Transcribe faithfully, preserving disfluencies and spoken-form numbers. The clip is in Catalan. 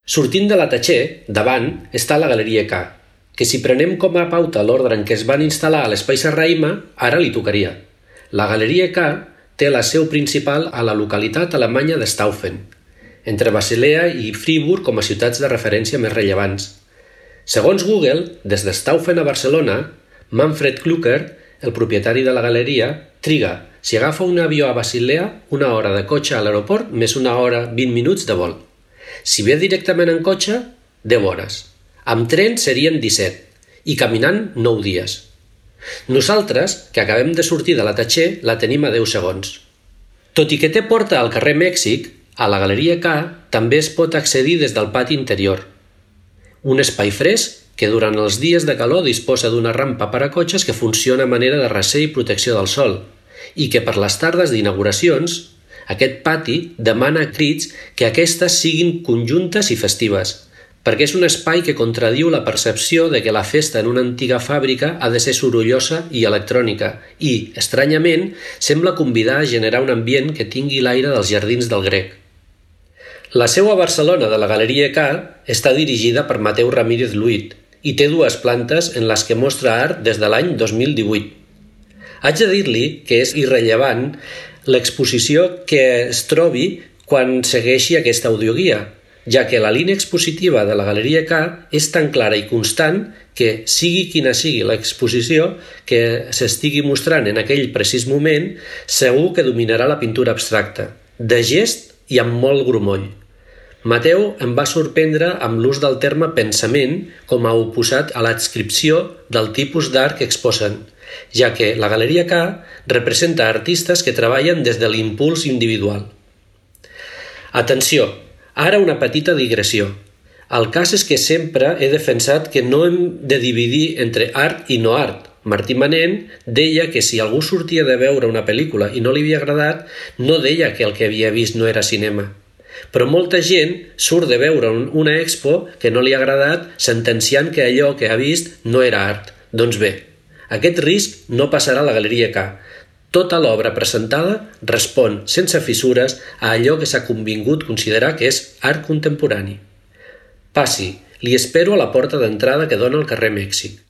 Sortint de la Tatxer, davant, està la Galeria K, que si prenem com a pauta l'ordre en què es van instal·lar a l'Espai Serrahima, ara li tocaria. La Galeria K té la seu principal a la localitat alemanya de Staufen, entre Basilea i Friburg com a ciutats de referència més rellevants. Segons Google, des de Staufen a Barcelona, Manfred Klucker, el propietari de la galeria, triga, si agafa un avió a Basilea, una hora de cotxe a l'aeroport més una hora vint minuts de vol. Si ve directament en cotxe, deu hores. Amb tren serien disset i caminant nou dies. Nosaltres, que acabem de sortir de la Tatxer, la tenim a deu segons. Tot i que té porta al carrer Mèxic, a la Galeria K també es pot accedir des del pati interior. Un espai fresc que durant els dies de calor disposa d'una rampa per a cotxes que funciona a manera de recer i protecció del sol i que per les tardes d'inauguracions aquest pati demana a crits que aquestes siguin conjuntes i festives, perquè és un espai que contradiu la percepció de que la festa en una antiga fàbrica ha de ser sorollosa i electrònica i, estranyament, sembla convidar a generar un ambient que tingui l'aire dels jardins del Grec. La seu a Barcelona de la Galeria K està dirigida per Mateu Ramírez Luit i té dues plantes en les que mostra art des de l'any dos mil divuit. Haig de dir-li que és irrellevant l'exposició que es trobi quan segueixi aquesta audioguia, ja que la línia expositiva de la Galeria K és tan clara i constant que, sigui quina sigui l'exposició que s'estigui mostrant en aquell precís moment, segur que dominarà la pintura abstracta, de gest i amb molt grumoll. Mateu em va sorprendre amb l'ús del terme pensament com a oposat a l'adscripció del tipus d'art que exposen, ja que la Galeria K representa artistes que treballen des de l'impuls individual. Atenció, ara una petita digressió. El cas és que sempre he defensat que no hem de dividir entre art i no art. Martí Manent deia que si algú sortia de veure una pel·lícula i no li havia agradat, no deia que el que havia vist no era cinema. Però molta gent surt de veure una expo que no li ha agradat sentenciant que allò que ha vist no era art. Doncs bé, aquest risc no passarà a la Galeria K. Tota l'obra presentada respon sense fissures a allò que s'ha convingut considerar que és art contemporani. Passi, li espero a la porta d'entrada que dona al carrer Mèxic.